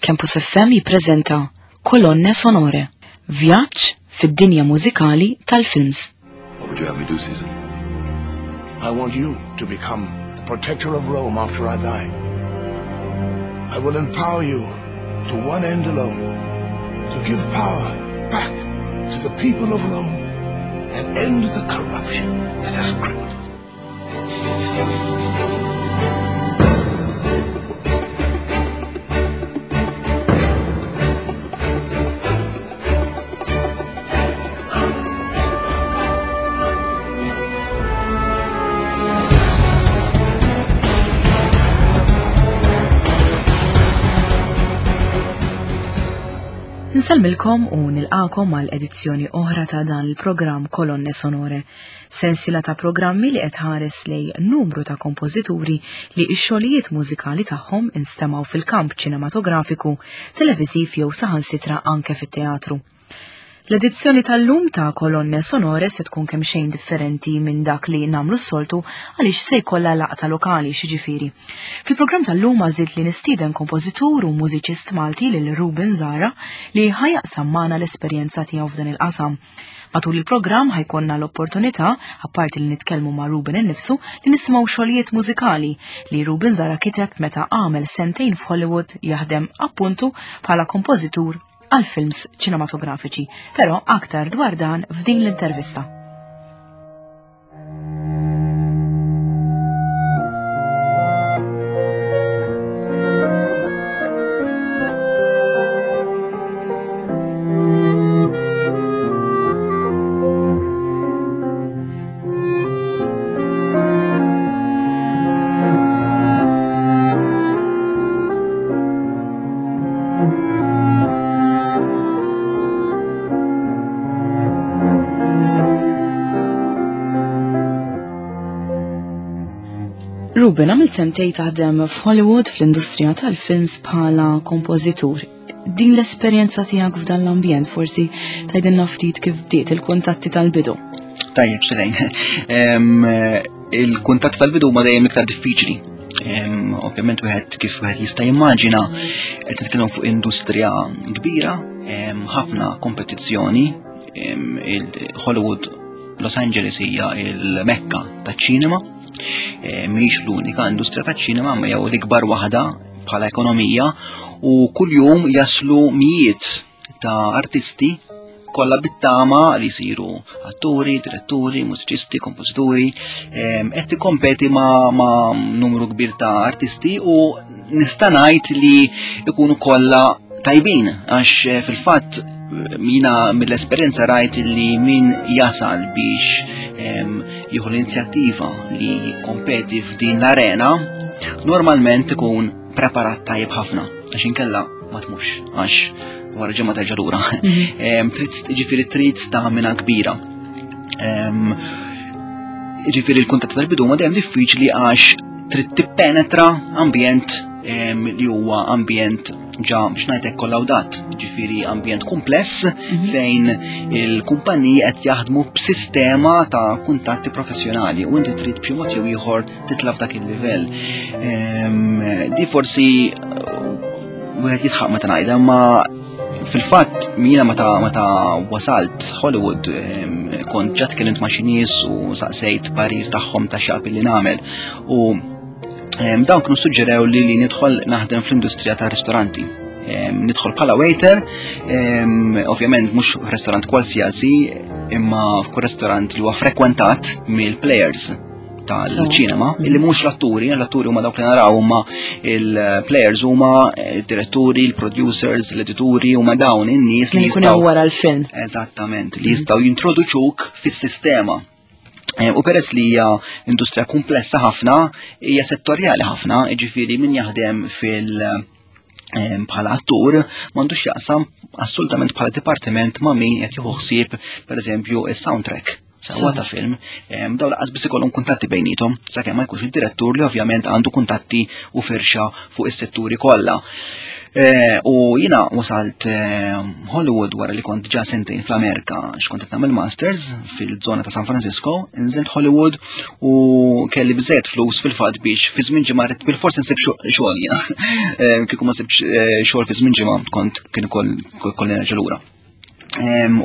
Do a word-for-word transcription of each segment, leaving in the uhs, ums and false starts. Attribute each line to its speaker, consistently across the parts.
Speaker 1: Campus F M jippreżenta Kolonne Sonore, vjaġġ fid-dinja mużikali tal-films.
Speaker 2: What would you have me do, Caesar?
Speaker 3: I want you to become the protector of Rome after I die. I will empower you to one end alone, to give power back to the people of Rome and end the corruption that has crippled it.
Speaker 1: Nsalmilkom u nilqakom għal edizzjoni oħra ta' dan il-programm Kolonne Sonore, sensiela ta' programmi li qed ħares lej numru ta' kompożituri li x-xogħlijiet mużikali tagħhom instemgħu fil-kamp ċinematografiku, televiżiv jew saħansitra anke fit-teatru. L-edizzjoni tal-lum ta' Kolonne Sonore se tkun kemm xejn differenti minn dak li nagħmlu s-soltu għaliex se jkollha laqta lokali xiġifieri. Fil-programm tal-lum għażilt li nistieden kompożitur u mużiċist Malti lil Ruben Zahra li ħajaqsam magħna l-esperjenza tiegħu f'dan il-qasam. Matul il-programm ħajkonna l-opportunità, apparti li nitkellmu ma' Ruben innifsu, li nisimgħu xogħlijiet mużikali li Ruben Zahra kiteb meta għamel sentejn f'Hollywood jaħdem appuntu bħala kompożitur għal films ċinematografiċi, però aktar dwar dan f'din l-intervista. Ruben, għamil sentej taħdem f'Hollywood fl-industrija tal-films bħala kompożitur. Din l-esperjenza tiegħek f'dan l-ambjent forsi tgħidilna ftit kif bdiet il-kuntatti tal-bidu.
Speaker 4: Tajjeb, xelejn. Il-kuntatti tal-bidu huma dejjem iktar diffiċli. Ovvjament wieħed kif wieħed jista' jimmaġina qed nitkellmu fuq industrija kbira, ħafna kompetizzjoni, il-Hollywood Los Angeles hija il-Mekka taċ-ċinema. Eh, mhix l-unika industrija taċ-ċinema, ma jew l-ikbar waħda bħala ekonomija, u kuljum jaslu mijiet ta' artisti kollha bit-tama li jsiru atturi, diretturi, mużiċisti, kompożituri, ehm, qed tikkompeti ma', ma' numru kbir ta' artisti u nista' ngħid li jkunu kollha tajbin, għax, eh, fil-fatt jina mill-esperjenza rajt li min jasal biex, ehm, jieħu l-inizjattiva li jikkompeti f'din l-arena, normalment ikun preparat tajjeb ħafna, għax inkella ma tmux, għax wara ġimgħa terġa' lura.
Speaker 1: Mhm.
Speaker 4: Ehm, trid, ġifieri trid stamina kbira. Ehm, ġifieri l-kuntatt tal-bidu ma dejjem diffiċli għax trid tippenetra ambjent, ehm, li huwa ambjent ġa biex ngħidlek kollawdat, ġifieri ambjent kumpless
Speaker 1: Mhm.
Speaker 4: fejn il-kumpaniji qed jaħdmu b'sistema ta' kuntatti professjonali u inti trid b'xi mod jew ieħor titla' f'dak il-livell. Ehm, di forsi wieħed jitħaq meta ngħidha, ma fil-fatt jiena meta, meta wasalt Hollywood, ehm, kont ġa tkellimt ma' xi nies u saqsejt parir tagħhom ta' x'jaqbil li nagħmel. U Ehm, dawn kienu suġġerew li, li nidħol naħdem fl-industrija ta' ristoranti. Ehm, nidħol bħala waiter, ehm, ovvjament mhux f'restorant qualsiasi, imma f'kull restorant li huwa frekwentat mill-players tal-ċinema,
Speaker 1: So.
Speaker 4: illi mhux l-atturi, l-atturi huma dawk li naraw, huma il-players huma id-diretturi, il-producers, l-edituri, huma dawn in-nies li
Speaker 1: Li jkun hemm
Speaker 4: jistgħu
Speaker 1: wara l-film.
Speaker 4: Eżattament, li jistgħu jintroduċuk fis-sistema. Eh, u peress li hija industrija komplessa ħafna, hija settorjali ħafna, jiġifieri min jaħdem fil-, ehm, bħala attur m'għandux jaqsam assolutament bħala dipartiment ma' min qed jieħu ħsieb pereżempju is-soundtrack. Sewwa ta' film, ehm, dawn laqas biss ikollhom kuntatti bejniethom, sakemm ma jkunx id-direttur li ovvjament għandu kuntatti u firxa fuq is-setturi kollha. Eh, u jiena wasalt eh, Hollywood wara li kont ġa sentejn fl-Amerika, x'kont qed nagħmel masters fil-żona ta' San Francisco, nżilt Hollywood u kelli biżejjed flus fil-fatt biex fi żmien ġimgħa ridt bil-fors insib xogħol jiena. Eh, kieku ma sibx xogħol fi żmien ġimgħa kont kien ukoll nerġa' lura.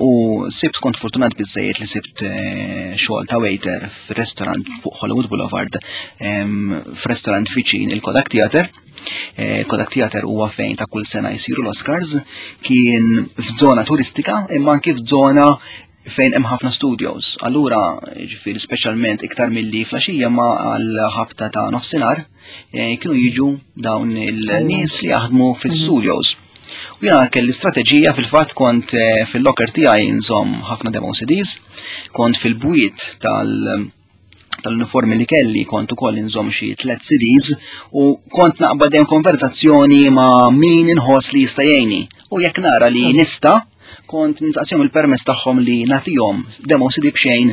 Speaker 4: U sibt, kont fortunat biżejjed li sibt xogħol ta' waiter f'restaurant fuq Hollywood Boulevard, f'restaurant viċin il-Kodak Theater. Eh, Kodak Theater huwa fejn ta' kull sena jsiru l-Oscars, kien f'żona turistika imma anki f'żona fejn hemm ħafna studios. Allura, ġifieri speċjalment iktar milli filgħaxija ma għal ħabta ta' nofsinhar, eh, kienu jiġu dawn il-nies li jaħdmu fil-studios. U jiena kelli strateġija, fil-fatt kont eh, fil-locker tiegħi nżomm ħafna demo C Ds, kont fil-bwiet tal- tal-uniformi li kelli kont ukoll inżomm xi tliet C Ds u kont naqbad dejjem konverzazzjoni ma' min inħoss li jista' jgħinni. U jekk nara li nista', kont nistaqsihom il-permess tagħhom li nagħtihom demo C D b'xejn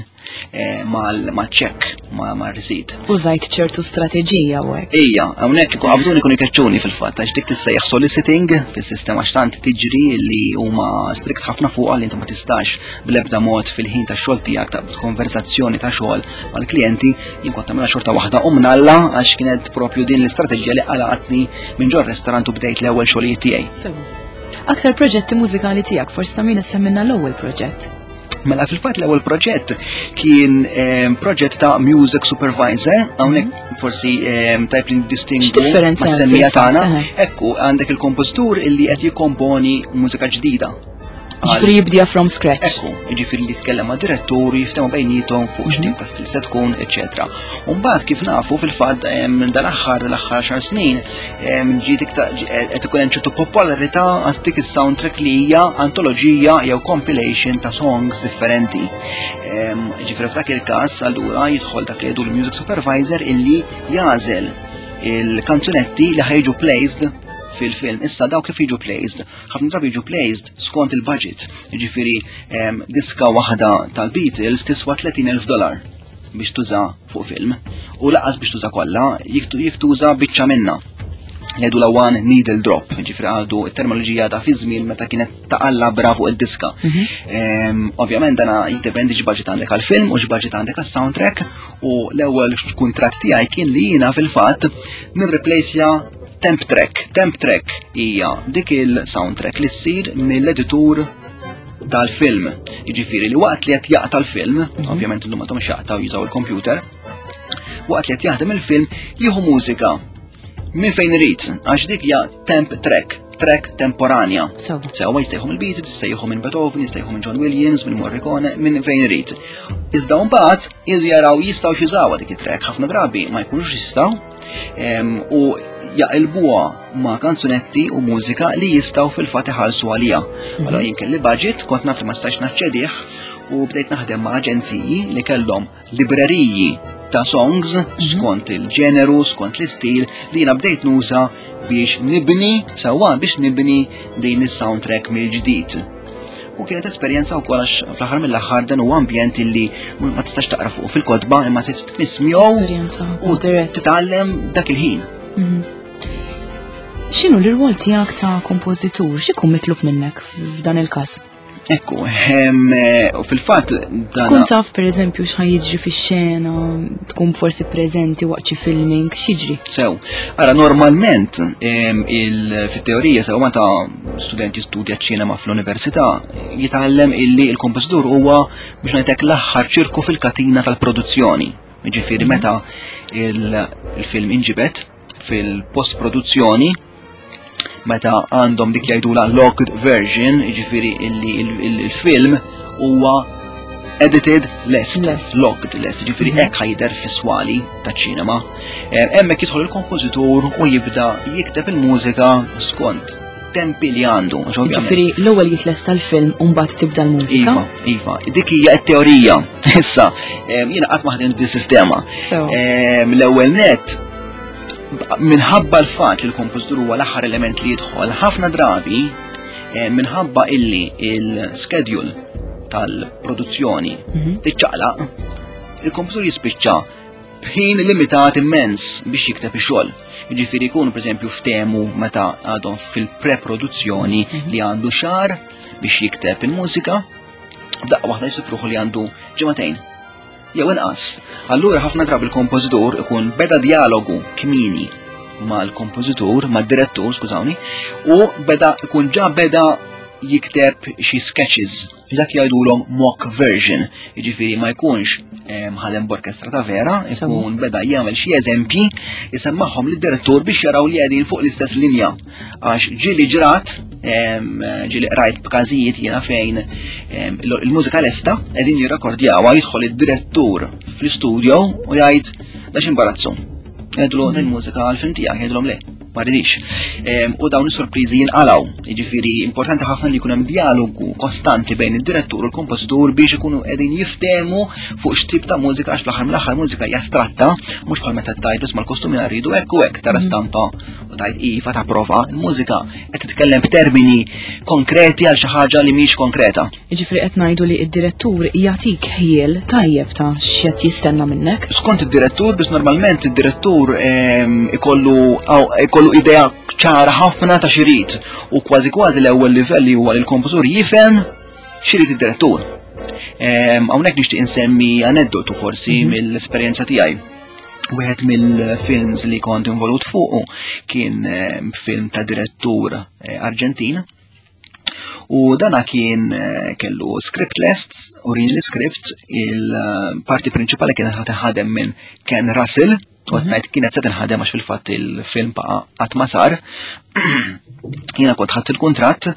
Speaker 4: eh, mal-check, ma' receipt.
Speaker 1: Użajt ċertu strateġija u hekk.
Speaker 4: Ija, hawnhekk ikun qabduni kun ikeċċuni fil-fatt, għax dik tissejjaħ soliciting fis-sistema, xtant tiġri li huma strict ħafna fuq li inti ma tistax bl-ebda mod fil-ħin ta' xogħol tiegħek ta' konverzazzjoni ta' xogħol mal-klijenti. Jien kont tagħmilha xorta waħda u mnalla, għax kienet propju din l-istrateġija li qalgħatni minn ġol restaurant u bdejt l-ewwel xogħlijiet tiegħi.
Speaker 1: Aktar proġetti mużikali tiegħek, forsi ta' min issemminna l-ewwel proġett.
Speaker 4: Mela fil-fatt l-ewwel proġett kien eh, proġett ta' music supervisor, hawnhekk mhm. forsi eh, tajb li distingu
Speaker 1: X'differenza
Speaker 4: hemm semmija tagħna. Ekku, għandek il-kompożitur illi qed jikkomponi mużika ġdida.
Speaker 1: Ġifieri jibdija from scratch.
Speaker 4: Ekku, ġifieri li jitkellem ma' direttur, jiftehmu bejniethom fuq x'tip ta' stil se tkun, eċetera. Umbagħad kif nafu fil-fatt dal-aħħar dal-aħħar xar snin ġiet iktar qed ikun hemm ċertu popolarità għal dik is-soundtrack li hija antoloġija jew compilation ta' songs differenti. Ġifieri f'dak il-każ allura jidħol dak li jgħidu l-music supervisor illi jagħżel il-kanzunetti li ħa jiġu placed fil-film. Issa daw kif jiġu placed? Ħafna drabi jiġu placed skont il-budget. Ġifieri diska waħda tal-Beatles tiswa tletin elf dollar biex tuża fuq film. U lanqas biex tuża kollha, jekk tuża biċċa minna. Jgħidu la one needle drop, ġifieri għadu terminoloġija ta' fi żmien meta kienet taqalla bra fuq id-diska. Mhm. Ovvjament dana jiddependi x'budget għandek għal-film u x'budget għandek għas-soundtrack, u l-ewwel kuntratt tiegħi kien li jiena fil-fatt nirreplaceja temp track. Temp track hija dik il-soundtrack li ssir mill-editur tal-film. Jiġifieri li waqt li qed jaqta' l-film, mhm. ovvjament illum m'għadhomx jaqtgħu, jużaw il-computer, waqt li qed jaħdem il-film jieħu mużika minn fejn irid, għax dik hija temp track, track temporanja. Sewa jista' jieħu mill-Beatles, jista' jieħu minn Beethoven, jista' jieħu minn John Williams, minn Morricone, minn fejn irid. Iżda mbagħad jridu jaraw jistgħu jużawha dik it-track, ħafna drabi ma jkunux jistgħu u jaqilbuha ma' kanzunetti u mużika li jistgħu fil-fatt iħallsu għalija. Mhm. Allora jien kelli budget, kont naf li ma stax naċċedih u bdejt naħdem ma' aġenziji li kellhom libreriji ta' songs mhm. skont il-ġeneru, skont l-istil li jiena bdejt nuża biex nibni, sewwa, biex nibni din is-soundtrack mill-ġdid. U kienet esperjenza wkoll għax fl-aħħar mill-aħħar dan huwa ambjent illi ma tistax taqra fuq fil-kotba imma trid tmismjow u titgħallem dak il-ħin.
Speaker 1: Mhm. X'inhu l-irwol tiegħek ta' kompożitur? X'ikun mitlub minnek f'dan il-każ?
Speaker 4: Ekku, eh, u fil-fatt
Speaker 1: Tkun taf per eżempju x'ħa jiġri fix-xena, tkun forsi preżenti waqt xi filming, x'jiġri?
Speaker 4: Sew, ara, normalment fit-teorija, sew, meta studenti studja ċinema fl-università jitgħallem illi il-kompożitur huwa, biex ngħidlek, l-aħħar ċirku fil-katina tal-produzzjoni. Ġifieri meta il-film inġibet fil-post-produzzjoni, meta għandhom dik jgħidula locked version, ġifieri illi il-film huwa edited lest, locked lest, ġifieri mhm. hekk ħa jidher fis-swali ta' ċinema. Eh, hemmhekk jidħol il-kompożitur u jibda jikteb il-mużika skont tempi li għandu.
Speaker 1: Ġifieri l-ewwel jitlesta l-film u mbagħad tibda l-mużika.
Speaker 4: Iva, iva, dik hija t-teorija. Issa, jiena qatt ma ħdimt dis-sistema. L-ewwel net, minħabba l-fatt li l-kompożitur huwa l-aħħar element li jidħol, ħafna drabi eh, minħabba illi il-schedule tal-produzzjoni mhm. tiċċaqlaq, il-kompożitur jispiċċa B'ħin limitat immens biex jikteb ix-xogħol. Jiġifieri jkunu, pereżempju, ftehmu meta għadhom fil-preproduzzjoni li għandu xahar biex jikteb il-mużika, daqqa waħda jsib ruħu li għandu ġimagħtejn jew inqas. Allura ħafna drabi il-kompożitur ikun beda dialogu kmieni mal-kompożitur, mad-direttur, skużawni, u beda ikun ġa beda jikteb xi sketches, dak jgħidulhom mock version, jiġifieri ma jkunx ħadem b'orkestra ta' vera, ikun beda jagħmel xi eżempji, jisemmagħhom lid-direttur biex jaraw li qegħdin fuq l-istess linja. Għax ġieli ġrat, ġieli qrajt b'każijiet jiena fejn il-mużika lesta, qegħdin jirrekordjawha, jidħol id-direttur fl-istudio u jgħid: "Da x'imbarazzu." Jgħidlu: "Il-mużika għal-film tiegħek." Jgħidulhom: "Le, ma rridix." U dawn is-sorpriżi jinqalaw. Jiġifieri importanti ħafna li jkun hemm dialogu kostanti bejn id-direttur u l-kompożitur biex ikunu qegħdin jiftehmu fuq x'tip ta' mużika, għax fl-aħħar mill-aħħar mużika hija astratta, mhux bħal meta tgħid: "Isma', l-kostumi rridu hekk u hekk", tara mhm. stampa u tgħid iva, tapprova. Il-mużika qed titkellem b'termini konkreti għal xi ħaġa li mhix konkreta.
Speaker 1: Jiġifieri qed ngħidu li d-direttur jagħtik ħjiel tajjeb ta' x'qed jistenna minnek.
Speaker 4: Skont id-direttur, biss normalment id-direttur ehm, ikollu ikollu idea ċara ħafna ta' x'irid u kważi kważi l-ewwel livell li huwa li l-kompożur jifhem x'irid id-direttur. Hawnhekk nixtieq insemmi aneddotu forsi mhm. mill-esperjenza tiegħi. Wieħed mill-films li kont involut fuqu kien film ta' direttur eh, Arġentin. U dana kien eh, kellu script lest, urini l-script, il-parti prinċipali kienet ħa tinħadem minn Ken Russell, u għedt kienet se tinħadem għax fil-fatt il-film baqa qatt ma sar. Jiena kont ħadt il-kuntratt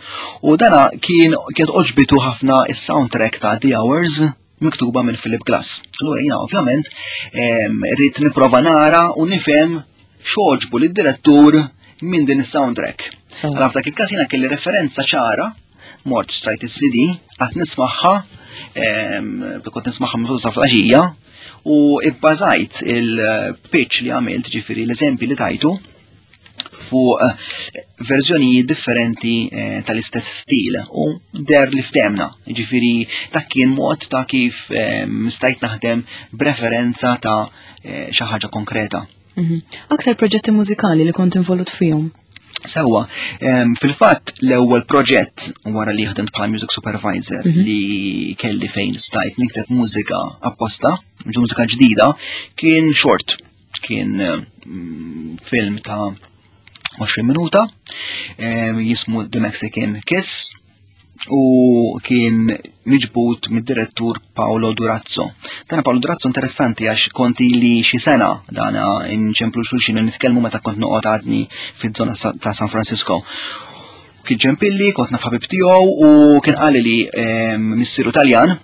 Speaker 4: u dana kien kienet għoġbitu ħafna is-soundtrack ta' The Hours miktuba minn Philip Glass. Allura jiena ovvjament rrid nipprova nara u nifhem x'għoġbu lid-direttur minn din is-soundtrack. Allora f'dak il-każ jiena kelli referenza ċara, mort xtrajt is-C D, qgħadt nismagħha, kont nismagħha minn sa filgħaxija, u ibbażajt il-pitch li għamilt, ġifieri l-eżempji li tajtu, fuq eh, verżjonijiet differenti eh, tal-istess stil u deher li ftehemna. Ġifieri dak kien mod ta' kif eh, stajt naħdem b'referenza ta' xi ħaġa konkreta.
Speaker 1: Mhm. Aktar proġetti mużikali li kont involut fihom?
Speaker 4: Sewwa, fil-fatt l-ewwel proġett wara li ħdimt bħala music supervisor mhm. li kelli fejn stajt nikteb mużika apposta, mużika ġdida, kien short, kien mm, film ta' għoxrin minuta, jismu The Mexican Kiss, u kien miġbut mid-direttur Paolo Durazzo. Dana Paolo Durazzo interessanti għax konti li xi sena dana nċemplu xulxin, nitkellmu meta kont noqgħod għadni fiż-żona ta' San Francisco. Kien ċempilli, kont naf ħabib tiegħu u kien qali li missieru Taljan.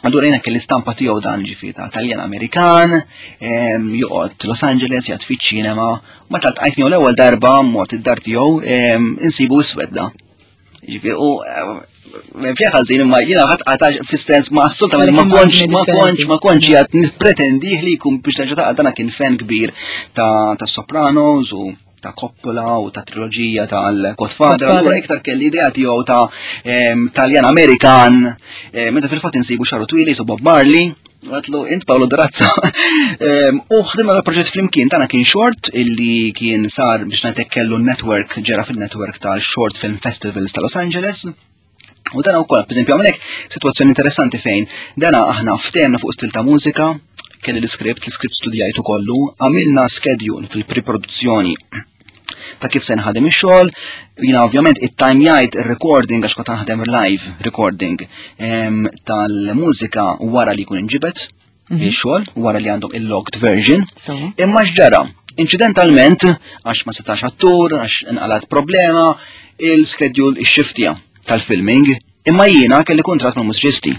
Speaker 4: Allura jiena kelli stampa tiegħu dan, ġifieri ta' Taljan Amerikan, joqgħod Los Angeles, jgħid fiċ-ċinema. Meta ltqajt miegħu l-ewwel darba, mort id-dar tiegħu, insibu iswed da. Ġifieri, u fija ħażin, imma jiena ħadd qata fis-sens ma assolutament ma kontx ma kontx ma kontx qed nippretendih li jkun biex terġa' ta' dana kien fan kbir ta' ta' Sopranos u ta' Coppola u ta' triloġija tal-Godfather, allura iktar kelli idea tiegħu ta' Taljan Amerikan, meta fil-fatt insibu xagħru twil qisu Bob Marley. Għedtlu: "Int Paolo Durazzo?" U ħdimna l-proġett flimkien, tana kien short illi kien sar biex ngħidlek kellu network, ġera fil-network tal-Short Film Festivals ta' Los Angeles. U dana wkoll, per esempio, għamlek situazzjoni interessanti fejn dana aħna ftehemna fuq stil ta' mużika, kelli l-script, l-script studjajtu kollu, għamilna schedule fil-preproduzzjoni ta' kif se nħadem ix-xogħol, jiena ovvjament it-timejajt ir-recording għax kont naħdem live recording tal-mużika wara li jkun inġibet mhm. ix-xogħol, wara li għandhom il-locked version. Imma x'ġara? Incidentalment, għax ma setax attur, għax inqalat problema, il-schedule ix-xiftja tal-filming, imma jiena kelli kontrat ma' mużiċisti.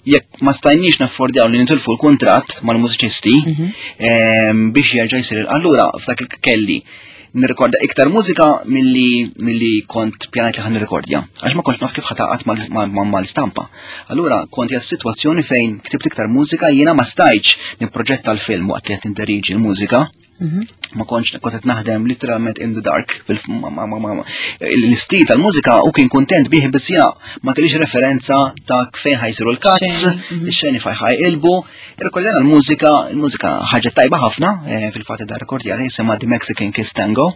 Speaker 4: Jekk ma stajniex naffordjaw li nitilfu l-kontrat mal-mużiċisti mhm. biex jerġa' jsir. Allura f'dak kelli nirrekorda iktar mużika milli milli kont pjanajt li ħa nirrekordja. Għax ma kontx naf kif ħa taqgħad mal-istampa. Allura kont qiegħed f'sitwazzjoni fejn ktibt iktar mużika, jiena ma stajtx nipproġetta l-film waqt li qed nidderieġi l-mużika. Mhm. Ma kontx kont qed naħdem literalment in the dark. L-istil tal-mużika u kien kontent bih, biss jiena ma kellix referenza ta' fejn ħa jsiru l-cuts, mhm. ix-xeni fejn ħa jqilbu. Irrekordjana l-mużika, il-mużika ħarġet tajba ħafna, eh, fil-fatt da rekordjata jisimha The Mexican Kiss Tango.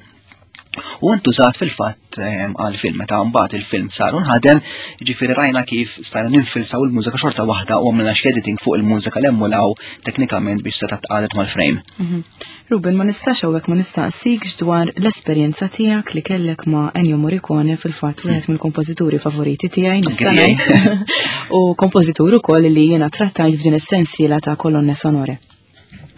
Speaker 4: U intużat fil-fatt ehm, għal-film, meta mbagħad il-film sar nħadem, ġifieri rajna kif stajna ninfilsaw il-mużika xorta waħda u għamilna editing fuq il-mużika li emmulaw teknikament biex seta' tqalet mal-frame.
Speaker 1: Mhm. Ruben, ma nistax hawnhekk ma nistaqsikx dwar l-esperjenza tiegħek li kellek ma' Ennio Morricone, fil-fatt wieħed mill-kompożituri favoriti tiegħi nista' u kompożitur ukoll li jiena trattajt f'din is-sensiela ta' kolonne sonore.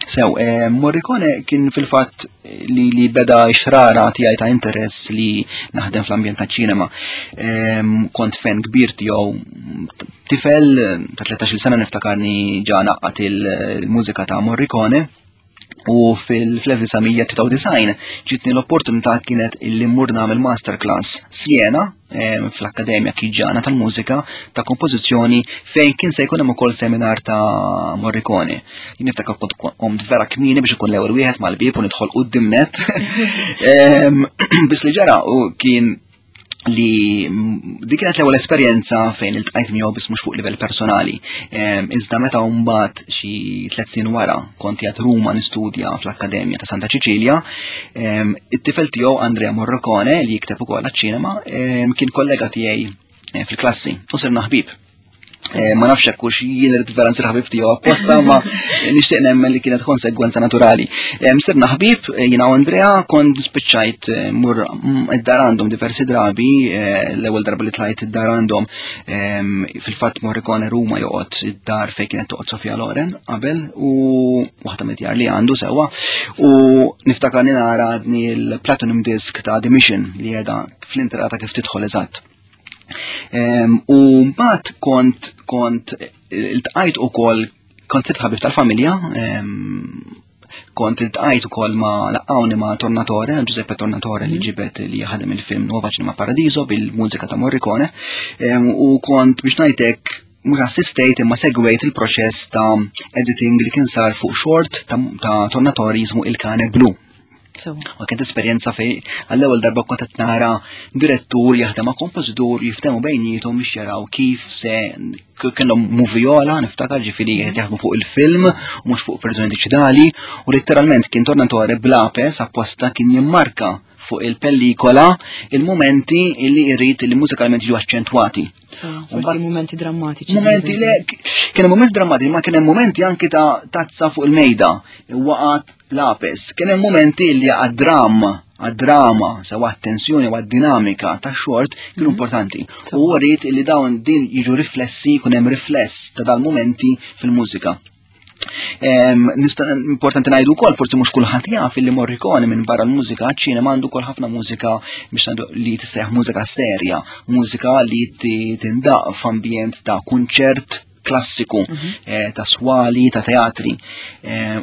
Speaker 4: Sew, eh, Morricone kien fil-fatt li, li beda xrara tiegħi ta' interess li naħdem fl-ambjent ta' ċinema. Eh, kont fan kbir tiegħu, tifel ta' tlettax-il sena niftakarni ġa naqqat il-mużika ta' Morricone u fil-elf disa' mija tlieta u disgħin ġitni l-opportunità kienet illi mmur nagħmel masterclass Siena fl-Akkademja Chigiana tal-Mużika ta' kompożizzjoni, fejn kien se jkun hemm ukoll seminar ta' Morricone. Jien niftakar kont qomt vera kmieni biex ikun l-ewwel wieħed mal-bieb u nidħol quddiem net. Biss li ġara u kien li dik kienet l-ewwel esperjenza fejn iltqajt miegħu, biss mhux fuq livell personali. Iżda meta mbagħad xi tliet snin wara kont qiegħed Ruma nistudja fl-Akkademja ta' Santa Ċiċilja, it-tifel tiegħu Andrea Morricone, li jikteb ukoll għaċ-ċinema, kien kollega tiegħi eh, fil-klassi u sirna ħbib. Eh, ma nafx hekk hux jien irid vera nsir ħabib tiegħu apposta, ma nixtieq nemmen li kienet konsegwenza naturali. Eh, sirna ħbib eh, jiena u Andrea, kont spiċċajt mur mm, id-dar għandhom diversi drabi, l-ewwel darba li tlajt id-dar għandhom, fil-fatt Morricone Ruma joqgħod id-dar fejn kienet toqgħod Sofia Loren qabel u waħda mid-djar li għandu sewwa, u niftakar nara għadni l-Platinum Disc ta' The Mission li qiegħda fl-intrata kif tidħol eżatt. U mbagħad kont kont iltqajt ukoll, kont sirt ħabib tal-familja, kont iltqajt ukoll ma laqgħuni ma' Tornatore, Giuseppe Tornatore, li mhm. ġibet li ħadem il-film Nuova Cinema Paradiso bil-mużika ta' Morricone, u kont, biex ngħidlek, mhux assistejt imma segwejt il-proċess ta' editing li kien sar fuq short ta', ta Tornatore jismu Il Cane Blu. U kienet esperjenza fej għall-ewwel darba kont qed nara direttur jaħdem ma' kompożitur, jiftehmu bejniethom biex jaraw kif se kellhom moviola, niftakar, ġifieri qed jaħdmu fuq il-film u mhux fuq verżjoni diġitali, u letteralment kien Tornatore b'lapes apposta kien jimmarka fuq il-pellikola il-momenti li jrid li mużikalment jiġu aċċentwati.
Speaker 1: Forsi momenti drammatiċi.
Speaker 4: Momenti le, kien momenti drammatiċi, ma kien hemm momenti anki ta' tazza fuq il-mejda, waqat lapes. Kien hemm momenti li għad-dram, għad-drama, sewa attenzjoni u għad-dinamika ta' short kienu mhm. importanti. U għarit li dawn din jiġu riflessi, kun hemm rifless ta' dal-momenti fil-mużika. Nista' importanti ngħidu wkoll, forsi mhux kulħadd jaf, li Morricone minn barra l-mużika ċinema għandu wkoll ħafna mużika biex ngħidu li tissejjaħ mużika serja, mużika li tindaq f'ambjent ta' kunċert klassiku, mhm. eh, ta' swali, ta' teatri.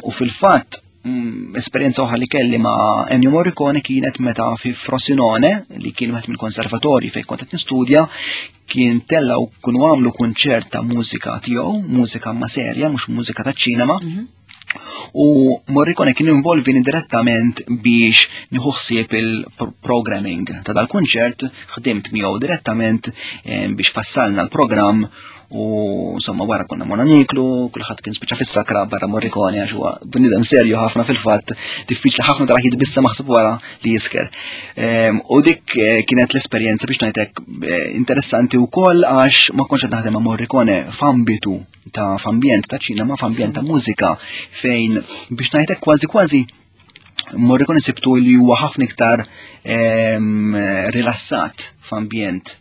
Speaker 4: U fil-fatt mm, esperjenza oħra li kelli ma' Ennio Morricone kienet meta fi Frosinone, li kien wieħed mill-konservatorji fejn kont qed nistudja, kien tella u kunu għamlu kunċert ta' mużika tiegħu, mużika ma' serja, mhux mużika ta' ċinema. Mhm. U Morricone kien involvini direttament biex nieħu ħsieb il-programming ta' dal-kunċert, ħdimt miegħu direttament eh, biex fassalna l-programm u insomma wara konna morna niklu, kulħadd kien spiċċa fis-sakra barra Morricone, għax huwa bniedem serju ħafna, fil-fatt diffiċli ħafna tara jitbissa maħsub wara li jisker. Ehm, u dik eh, kienet l-esperjenza, biex ngħidlek, eh, interessanti wkoll għax ma kontx qed naħdem ma' Morricone f'ambitu ta' f'ambjent ta' ċinema, f'ambjent ta' mużika fejn, biex ngħidlek, kważi kważi Morricone sibtu li huwa ħafna iktar ehm, rilassat f'ambjent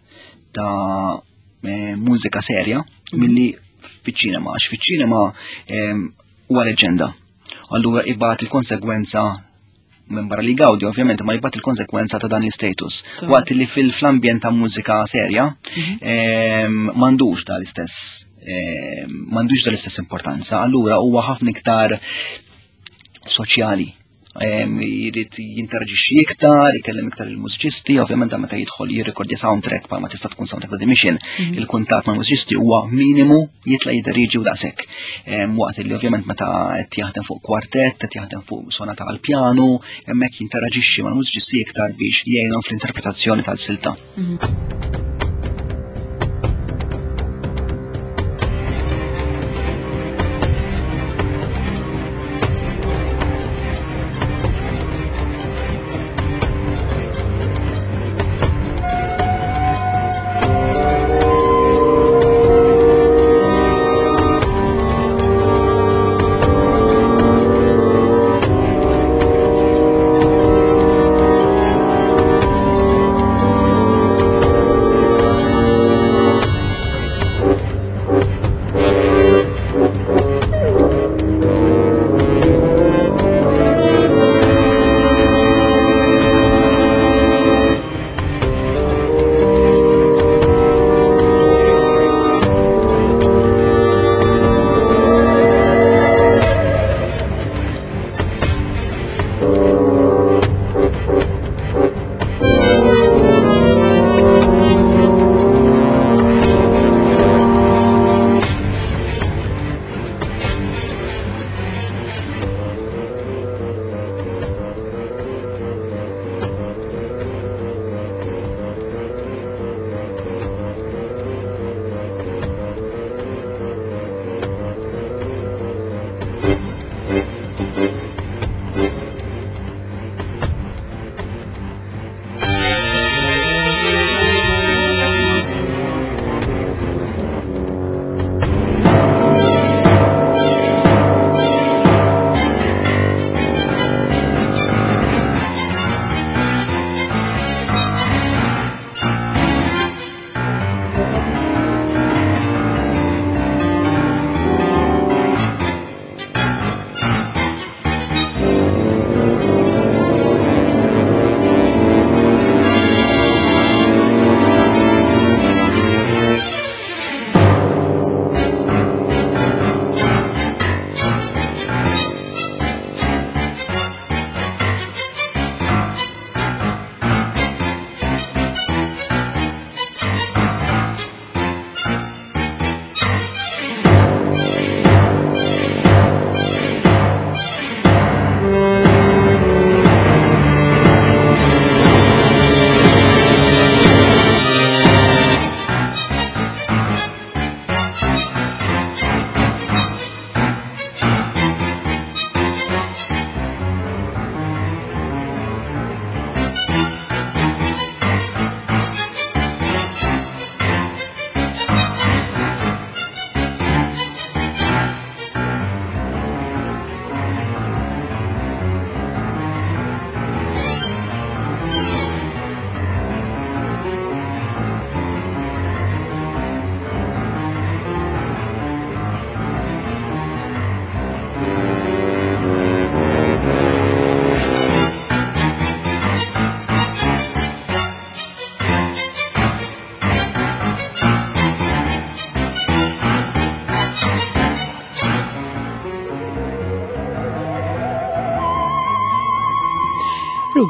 Speaker 4: ta' eh, mużika serja milli fiċ-ċinema, għax fiċ-ċinema ehm, huwa leġenda. Allura ibati il-konsegwenza, minn barra li gawdi ovvjament, ma jibgħat il-konsekwenza ta' dan il-status. Waqt li fil-ambjent ta' mużika serja mhm. ehm, m'għandux da l-istess ehm, m'għandux da l-istess importanza, allura huwa ħafna iktar soċjali. Jrid jinteraġixxi iktar, jkellem iktar il-mużiċisti, ovvjament meta jidħol jirrekordja soundtrack bħalma tista' tkun soundtrack ta' The Mission, mhm. il-kuntatt mal-mużiċisti huwa minimu, jitla' jidderieġi u daqshekk. Waqt li ovvjament meta qed jaħdem fuq kwartett, qed jaħdem fuq sonata għal pjanu, hemmhekk jinteraġixxi mal-mużiċisti iktar biex jgħinhom fl-interpretazzjoni tal-silta. Mhm.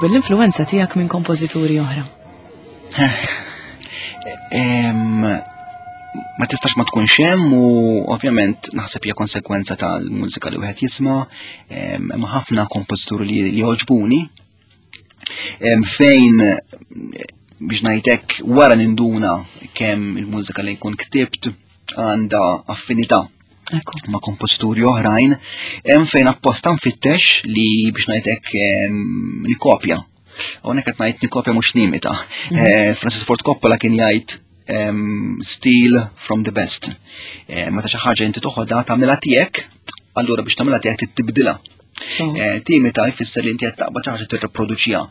Speaker 1: Ruben, l-influenza tiegħek minn kompożituri oħra?
Speaker 4: Ma tistax ma tkunx hemm u ovvjament naħseb hija konsekwenza tal-mużika li wieħed jisma', hemm ħafna kompożituri li jogħġbuni. Fejn biex ngħidlek wara ninduna kemm il-mużika li jkun ktibt għandha affinità ma' kompożituri oħrajn, hemm fejn apposta nfittex li biex ngħidlek nikopja. Hawnhekk qed ngħid nikopja mhux nimita. Francis Ford Coppola kien jgħid steal from the best. Meta xi ħaġa inti toħodha tagħmilha tiegħek, allura biex tagħmilha tiegħek tibdilha. Timita jfisser li inti qed taqbad xi ħaġa tirriproduċiha.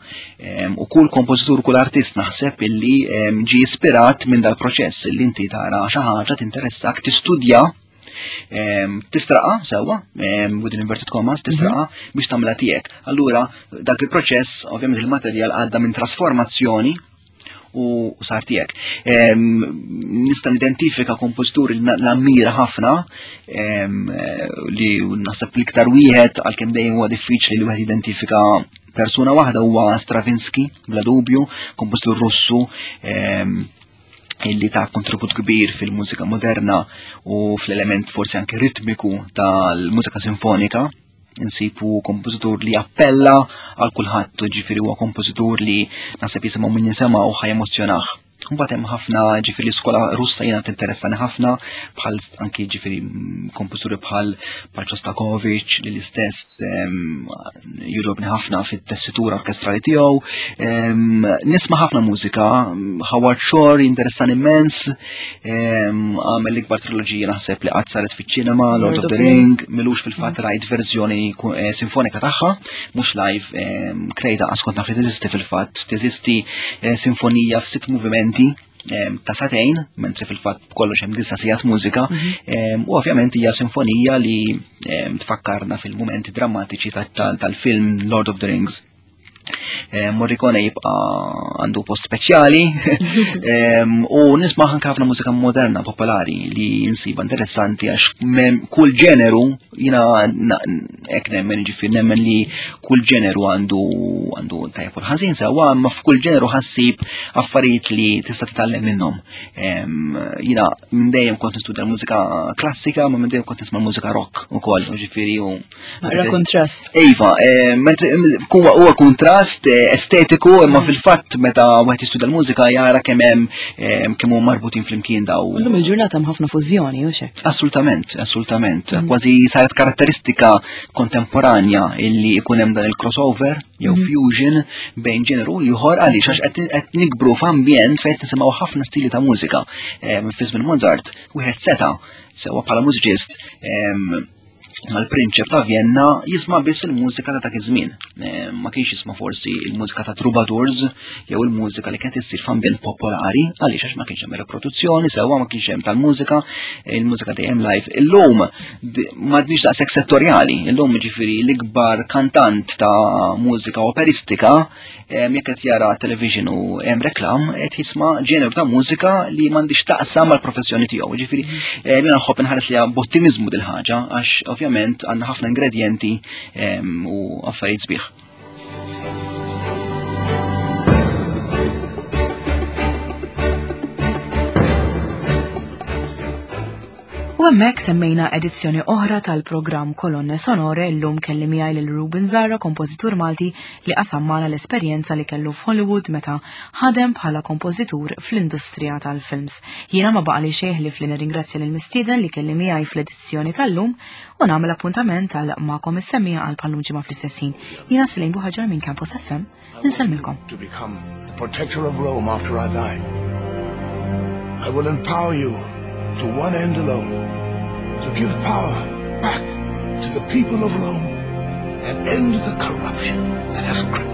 Speaker 4: U kull kompożitur, kull artist naħseb illi ġie ispirat minn dal-proċess illi inti tara xi ħaġa tinteressak, tistudja, tistraqa sewwa, within inverted commas, tistraqa biex tagħmilha tiegħek. Allura dak il-proċess, ovvjament il-materjal għadda minn trasformazzjoni u sar tiegħek. Nista' nidentifika kompożituri li nammira ħafna li naħseb l-iktar wieħed, għalkemm dejjem huwa diffiċli li wieħed identifika persuna waħda, huwa Stravinsky, bla dubju, kompożitur Russu illi ta' kontribut kbir fil-mużika moderna u fl-element forsi anke ritmiku tal-mużika sinfonika. Insibu kompożitur li appella għal kulħadd, ġifieri huwa kompożitur li naħseb jisimgħu min jisimgħu u ħa jemozzjonah. Mbagħad hemm ħafna, ġifieri l-iskola Russa jiena tinteressani ħafna, bħal anki ġifieri kompożituri bħal bħal Shostakovich li l-istess jogħġobni ħafna fit-tessitura orkestrali tiegħu. Nisma' ħafna mużika, Howard Shore jinteressani immens, għamel l-ikbar triloġija naħseb li qatt saret fiċ-ċinema, Lord of the Ring, m'ilux fil-fatt rajt verżjoni sinfonika tagħha, mhux live, krejta għax kont naf li teżisti fil-fatt, teżisti sinfonija f'sitt movimenti ta' sagħtejn, mentri fil-fatt kollox hemm disa' sigħat mużika, u ovvjament hija sinfonija li tfakkarna fil-mumenti drammatiċi tal-film Lord of the Rings. Morricone jibqa' għandu post speċjali u nisma' anke ħafna mużika moderna popolari li nsiba interessanti, għax kull ġeneru, jiena hekk nemmen, ġifieri nemmen li kull ġeneru għandu għandu tajjeb u l-ħażin sewwa, imma f'kull ġeneru ħassib affarijiet li tista' titgħallem minnhom. Jiena minn dejjem kont nistudja l-mużika klassika, ma minn dejjem kont nisma' l-mużika rock ukoll, ġifieri u
Speaker 1: Naqra kontrast.
Speaker 4: Iva, mentri huwa kontrast estetiku, imma fil-fatt meta wieħed jistudja l-mużika jara kemm hemm kemm huma marbutin flimkien daw.
Speaker 1: Illum il-ġurnata hemm ħafna fużjoni, u xek?
Speaker 4: Assolutament, assolutament. Kważi saret karatteristika kontemporanja illi jkun hemm dan il-crossover jew fusion bejn ġeneru ieħor, għaliex għax qed nikbru f'ambjent fejn qed nisimgħu ħafna stili ta' mużika. Fi żmien Mozart wieħed seta' sewwa bħala mużiċist mal-prinċep ta' Vienna jisma' biss il-mużika ta' dak iż-żmien. Ma kienx jisma' forsi il-mużika ta' troubadours jew il-mużika li kienet issir f'ambjent popolari, għaliex għax ma kienx hemm riproduzzjoni, sewwa ma kienx hemm tal-mużika, il-mużika dejjem live. Illum m'għadniex daqshekk settorjali, illum ġifieri l-ikbar kantant ta' mużika operistika jekk qed jara television u hemm reklam qed jisma' ġeneru ta' mużika li m'għandix taqsam mal-professjoni tiegħu. Ġifieri jiena nħobb inħares li b'ottimizmu dil-ħaġa għax ovvjament għandna ħafna ingredjenti u affarijiet sbieħ.
Speaker 1: U hemmhekk semmejna edizzjoni oħra tal-programm Kolonne Sonore. Illum kelli miegħi lil Ruben Zahra, kompożitur Malti li qasam magħna l-esperjenza li kellu f'Hollywood meta ħadem bħala kompożitur fl-industrija tal-films. Jiena ma baqali xejn li fli nirringrazzja lil mistieden li kelli miegħi fl-edizzjoni tal-lum u nagħmel appuntament għal magħkom is-semmiegħa għal bħallum ġimgħa fl-istess ħin. Jiena Selene Buhaġar minn Campus F M, insellmilkom.
Speaker 3: To become the protector of Rome after I die. I will empower you to one end alone, to give power back to the people of Rome and end the corruption that has gripped